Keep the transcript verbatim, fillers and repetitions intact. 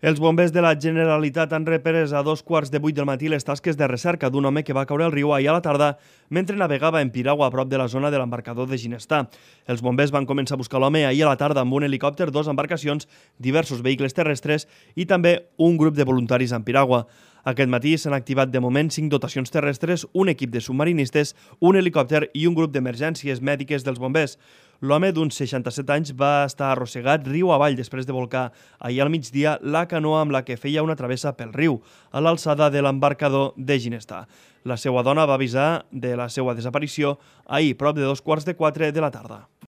Els bombers de la Generalitat han reprès a dos quarts de vuit del matí les tasques de recerca d'un home que va caure al riu ahir a la tarda mentre navegava en piragua a prop de la zona de l'embarcador de Ginestar. Els bombers van començar a buscar l'home ahir a la tarda amb un helicòpter, dos embarcacions, diversos vehicles terrestres i també un grup de voluntaris en piragua. Aquest matí s'han activat de moment cinc dotacions terrestres, un equip de submarinistes, un helicòpter i un grup d'emergències mèdiques dels bombers. L'home d'uns seixanta-set anys va estar arrossegat riu avall després de volcar ahir al migdia la canoa amb la que feia una travessa pel riu, a l'alçada de l'embarcador de Ginestar. La seva dona va avisar de la seva desaparició ahir, prop de dos quarts de quatre de la tarda.